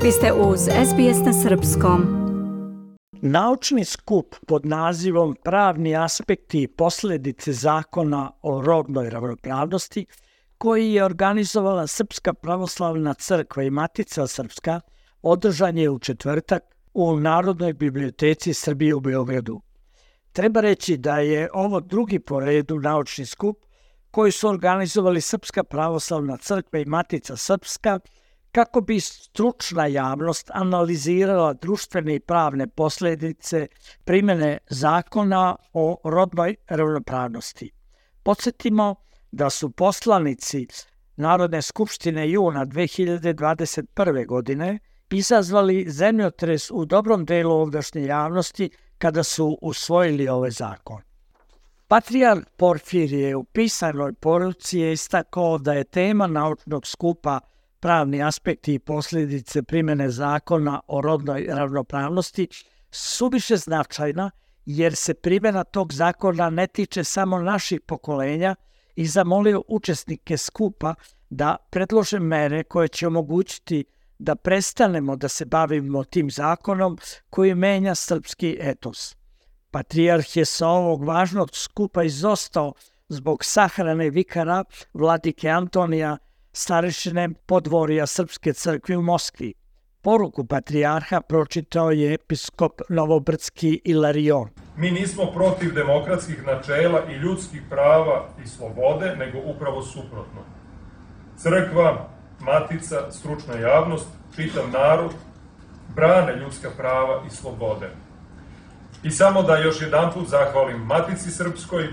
Vi ste uz SBS na Srpskom. Naučni skup pod nazivom Pravni aspekti i posljedice zakona o rodnoj ravnopravnosti, koji je organizovala Srpska pravoslavna crkva i Matica Srpska, održan je u četvrtak u Narodnoj biblioteci Srbije u Beogradu. Treba reći da je ovo drugi po redu naučni skup koji su organizovali Srpska pravoslavna crkva i Matica Srpska kako bi stručna javnost analizirala društvene i pravne posljedice primjene zakona o rodnoj ravnopravnosti. Podsjetimo da su poslanici Narodne skupštine juna 2021. godine izazvali zemljotres u dobrom delu ovdašnje javnosti kada su usvojili ovaj zakon. Patrijarh Porfirije u pisanoj poruci je istakao da je tema naučnog skupa Pravni aspekti i posljedice primjene zakona o rodnoj ravnopravnosti suviše značajna jer se primjena tog zakona ne tiče samo naših pokolenja i zamolio učesnike skupa da predlože mere koje će omogućiti da prestanemo da se bavimo tim zakonom koji menja srpski etos. Patrijarh je sa ovog važnog skupa izostao zbog sahrane vikara vladike Antonija, starešine podvorja Srpske crkve u Moskvi. Poruku patrijarha pročitao je episkop Novobrdski Ilarion. Mi nismo protiv demokratskih načela i ljudskih prava i slobode, nego upravo suprotno. Crkva, Matica, stručna javnost, čitav narod brane ljudska prava i slobode. I samo da još jedanput zahvalim Matici Srpskoj,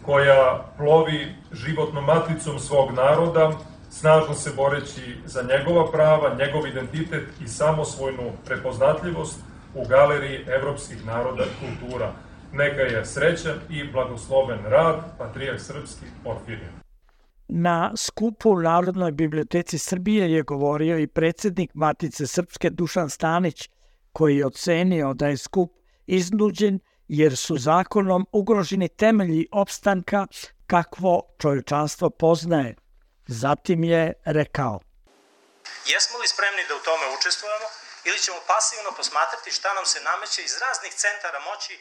koja plovi životnom maticom svog naroda, snažno se boreći za njegova prava, njegov identitet i samosvojnu prepoznatljivost u galeriji evropskih naroda i kultura. Neka je srećan i blagosloven rad, Patrijarh Srpski Porfirije. Na skupu u Narodnoj biblioteci Srbije je govorio i predsjednik Matice Srpske Dušan Stanić, koji je ocenio da je skup iznuđen jer su zakonom ugroženi temelji opstanka kakvo čovječanstvo poznaje. Zatim je rekao: Jesmo li spremni da u tome učestvujemo ili ćemo pasivno posmatrati šta nam se nameće iz raznih centara moći?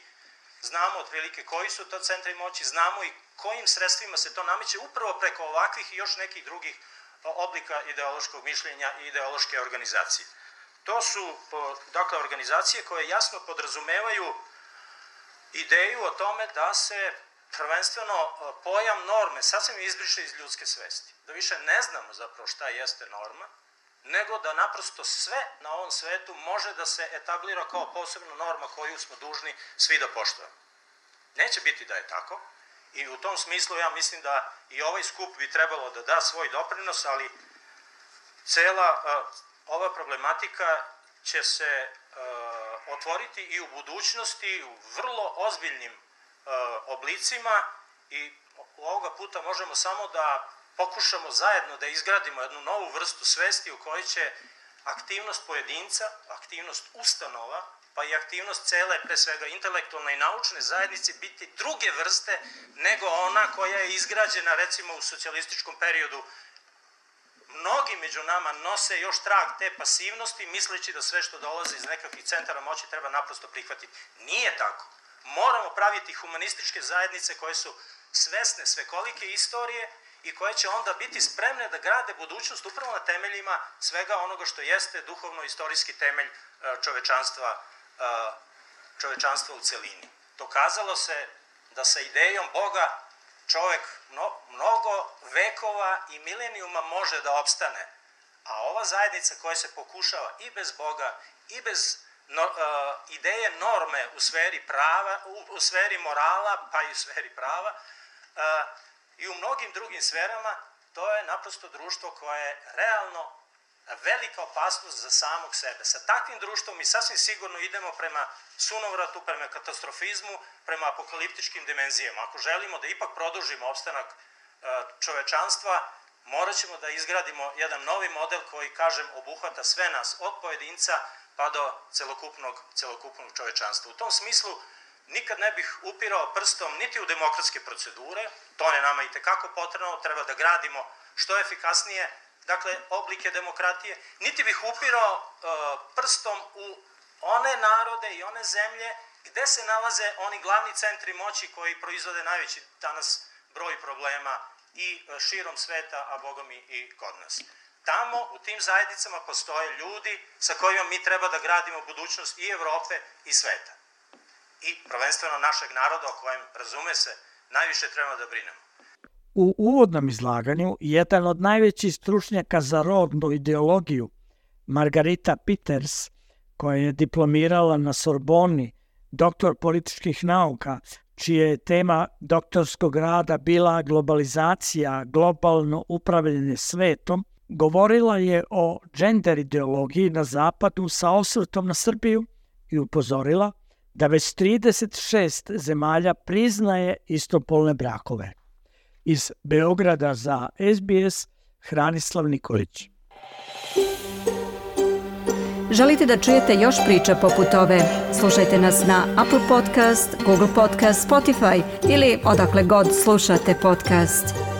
Znamo otprilike koji su to centri moći, znamo i kojim sredstvima se to nameće upravo preko ovakvih i još nekih drugih oblika ideološkog mišljenja i ideološke organizacije. To su dakle organizacije koje jasno podrazumevaju ideju o tome da se prvenstveno pojam norme sasvim izbriše iz ljudske svesti. Da više ne znamo zapravo šta jeste norma, nego da naprosto sve na ovom svetu može da se etablira kao posebna norma koju smo dužni svi da poštujemo. Neće biti da je tako i u tom smislu ja mislim da i ovaj skup bi trebalo da da svoj doprinos, ali cela ova problematika će se otvoriti i u budućnosti u vrlo ozbiljnim oblicima i ovoga puta možemo samo da pokušamo zajedno da izgradimo jednu novu vrstu svesti u kojoj će aktivnost pojedinca, aktivnost ustanova, pa i aktivnost cele, pre svega intelektualne i naučne zajednice biti druge vrste nego ona koja je izgrađena recimo u socijalističkom periodu. Mnogi među nama nose još trag te pasivnosti misleći da sve što dolazi iz nekakvih centara moći treba naprosto prihvatiti. Nije tako. Moramo praviti humanističke zajednice koje su svesne svekolike istorije i koje će onda biti spremne da grade budućnost upravo na temeljima svega onoga što jeste duhovno-istorijski temelj čovečanstva u celini. Dokazalo se da sa idejom Boga čovek mnogo vekova i milenijuma može da opstane, a ova zajednica koja se pokušava i bez Boga i bez ideje norme u sferi prava, u sferi morala, pa i u sferi prava, i u mnogim drugim sferama, to je naprosto društvo koje je realno velika opasnost za samog sebe. Sa takvim društvom mi sasvim sigurno idemo prema sunovratu, prema katastrofizmu, prema apokaliptičkim dimenzijama. Ako želimo da ipak produžimo opstanak čovečanstva, morat ćemo da izgradimo jedan novi model koji, kažem, obuhvata sve nas, od pojedinca pa do celokupnog čovečanstva. U tom smislu nikad ne bih upirao prstom niti u demokratske procedure, to je nama itekako potrebno, treba da gradimo što efikasnije dakle, oblike demokratije, niti bih upirao prstom u one narode i one zemlje gde se nalaze oni glavni centri moći koji proizvode najveći danas broj problema i širom sveta, a bogami i kod nas. Tamo, u tim zajednicama, postoje ljudi sa kojima mi treba da gradimo budućnost i Evrope i sveta. I prvenstveno našeg naroda, o kojem, razume se, najviše treba da brinemo. U uvodnom izlaganju jedan od najvećih stručnjaka za rodnu ideologiju, Margarita Peters, koja je diplomirala na Sorboni, doktor političkih nauka, čija je tema doktorskog rada bila globalizacija, globalno upravljanje svetom, govorila je o gender ideologiji na zapadu sa osvrtom na Srbiju i upozorila da već 36 zemalja priznaje istopolne brakove. Iz Beograda za SBS, Hranislav Nikolić. Želite da čujete još priča poput ove? Slušajte nas na Apple Podcast, Google Podcast, Spotify ili odakle god slušate podcast.